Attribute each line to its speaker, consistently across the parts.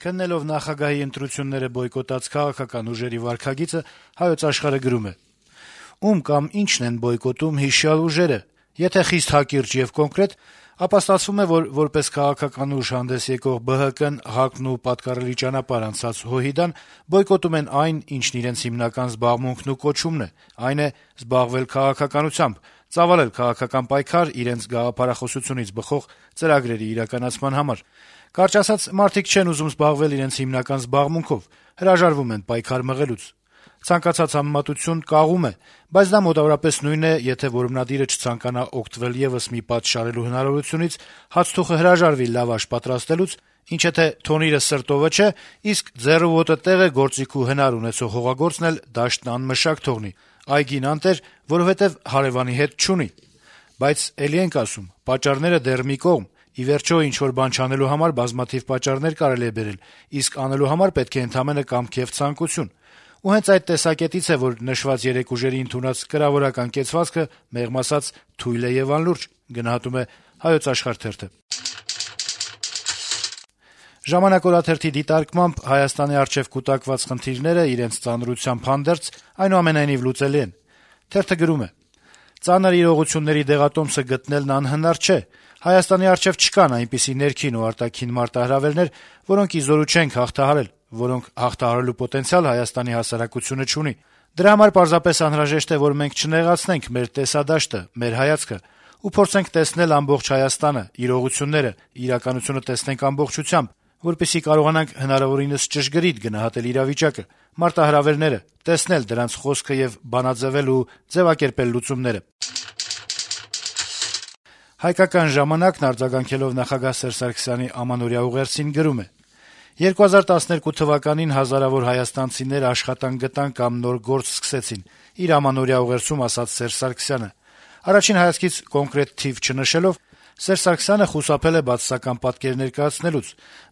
Speaker 1: Քննելով նախագահի ընտրությունները բոյկոտած քաղաքական ուժերի վարքագիծը «Հայոց Աշխարհ»-ը գրում է. - «Ում կամ ինչն են բոյկոտում հիշյալ ուժերը: Եթե խիստ հակիրճ եւ կոնկրետ, ապա ստացվում է, որ որպես քաղաքական ուժ հանդես եկող ԲՀԿ-ն, ՀԱԿ-ն ու պատկառելի ճանապարհ անցած ՀՅԴ-ն բոյկոտում են այն, ինչն իրենց հիմնական զբաղմունքն ու կոչումն է, այն է զբաղվել քաղաքականությամբ, ծավալել քաղաքական պայքար իրենց գաղափարախոսությունից բխող ծրագրերի իրականացման համար: Կարճ ասած, մարդիկ չեն ուզում զբաղվել իրենց հիմնական զբաղմունքով, հրաժարվում են պայքար մղելուց: Ցանկացած համեմատություն կաղում է, բայց դա մոտավորապես նույնն է, եթե որմնադիրը չցանկանա օգտվել եւս մի պատ շարելու հնարավորությունից, հացթուխը հրաժարվի լավաշ պատրաստելուց, ինչը թե թոնիրը սրտովը չէ, իսկ ձեռու ոտը տեղ է գործիք ու հնար ունեցող հողագործն էլ դաշտն անմշակ թողնի, այգին անտեր, որովհետեւ հարեւանի հետ չունի: Բայց էլի ենք ասում, պատճառները դեռ մի կողմ, ի վերջո ինչ-որ բան չանելու համար բազմաթիվ պատճառներ կարելի է բերել, իսկ անելու համար պետք է ընդամենը կամք եւ ցանկություն: Ու հենց այդ տեսակետից է, որ նշված երեք ուժերի ընդունած կրավորական կեցվածքը, մեղմ ասած, թույլ է եւ անլուրջ»: «Ժամանակ» օրաթերթի դիտարկմամբ Հայաստանի առջեւ կուտակված խնդիրները իրենց ծանրությամբ հանդերձ այնուամենայնիվ լուծելի են: Թերթը գրում է. - «Ծանր իրողությունների դեղատոմսը գտնելն անհնար չէ: Հայաստանի առջեւ չկան այնպիսի ներքին ու արտաքին մարտահրավերներ, որոնք ի զորու չենք հաղթահարել, որոնք հաղթահարելու պոտենցիալ Հայաստանի հասարակությունը չունի: Դրա համար պարզապես անհրաժեշտ է, որ մենք չնեղացնենք մեր տեսադաշտը, մեր հայացքը ու փորձենք տեսնել ամբողջ Հայաստանը, իրողությունները, իրականությունը տեսնենք ամբողջությամբ, որպեսզի կարողանանք հնարավորինս ճշգրիտ գնահատել իրավիճակը, մարտահրավերները, տեսնել դրանց խոսքը եւ բանաձեւել ու ձեւակերպել լուծումները»: «Հայկական ժամանակ»-ն արձագանքելով նախագահ Սերժ Սարգսյանի ամանորյա ուղերձին գրում է. - «2012 թվականին հազարավոր հայաստանցիներ աշխատանք գտան կամ նոր գործ սկսեցին», - իր ամանորյա ուղերձում ասաց Սերժ Սարգսյանը: Առաջին հայացքից կոնկրետ թիվ չնշելով, Սերժ Սարգսյանը խուսափել է բացասական պատկեր ներկայացնելուց,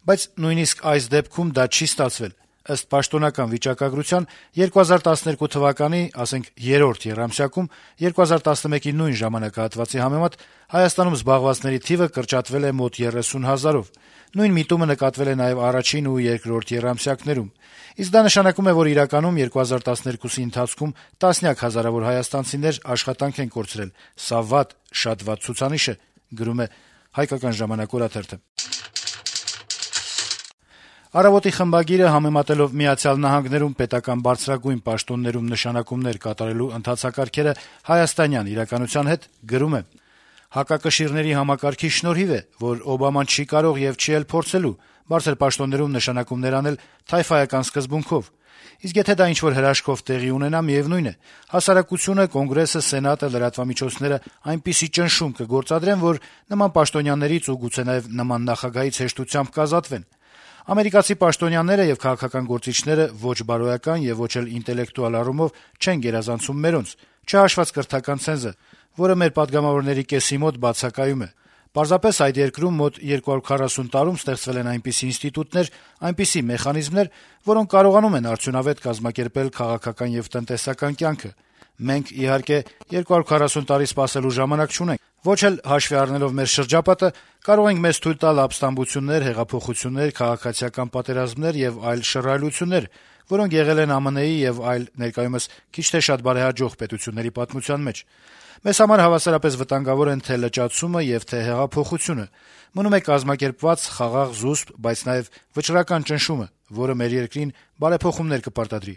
Speaker 1: բայց նույնիսկ այս դեպքում դա չի ստացվել: Ըստ պաշտոնական վիճակագրության, 2012 թվականի, ասենք, երրորդ եռամսյակում 2011-ի նույն ժամանակահատվածի համեմատ Հայաստանում զբաղվածների թիվը կրճատվել է մոտ 30 հազարով: Նույն միտումը նկատվել է նաեւ առաջին ու երկրորդ եռամսյակներում: Իսկ դա նշանակում է, որ իրականում 2012-ի ընթացքում տասնյակ հազարավոր հայաստանցիներ աշխատանք են կորցրել: Սա վատ, շատ վատ ցուցանիշ է»: «Առավոտ»-ի խմբագիրը, համեմատելով Միացյալ Նահանգներում պետական բարձրագույն պաշտոններում նշանակումներ կատարելու ընթացակարգերը հայաստանյան իրականության հետ, գրում է. - «Հակակշիռների համակարգի շնորհիվ է, որ Օբաման չի կարող եւ չի էլ փորձելու բարձր պաշտոններում նշանակումներ անել թայֆայական սկզբունքով: Իսկ եթե դա ինչ-որ հրաշքով տեղի ունենա, միեւնույն է, հասարակությունը, Կոնգրեսը, Սենատը, լրատվամիջոցները այնպիսի ճնշում կգործադրեն, որ նման պաշտոնյաներից ու գուցե նաեւ նման նախագահից հեշտությամբ կազատվեն: Ամերիկացի պաշտոնյաները եւ քաղաքական գործիչները ոչ բարոյական եւ ոչ էլ ինտելեկտուալ առումով չեն գերազանցում մերոնց, չհաշված կրթական ցենզը, որը մեր պատգամավորների կեսի մոտ բացակայում է: Պարզապես այդ երկրում մոտ 240 տարում ստեղծվել են այնպիսի ինստիտուտներ, այնպիսի մեխանիզմներ, որոնք կարողանում են արդյունավետ կազմակերպել քաղաքական եւ տնտեսական կյանքը: Մենք, իհարկե, 240 տարի սպասելու ժամանակ չունենք, ոչ էլ, հաշվի առնելով մեր շրջապատը, կարող ենք մեզ թույլ տալ ապստամբություններ, հեղափոխություններ, քաղաքացիական պատերազմներ եւ այլ շռայլություններ, որոնք եղել են ԱՄՆ-ի եւ այլ, ներկայումս քիչ թե շատ բարեհաջող պետությունների պատմության մեջ: Մեզ համար հավասարապես վտանգավոր են թե լճացումը եւ թե հեղափոխությունը: Մնում է կազմակերպված, խաղաղ, զուսպ, բայց նաեւ վճռական ճնշումը, որը մեր երկրին բարեփոխումներ կպարտադրի»: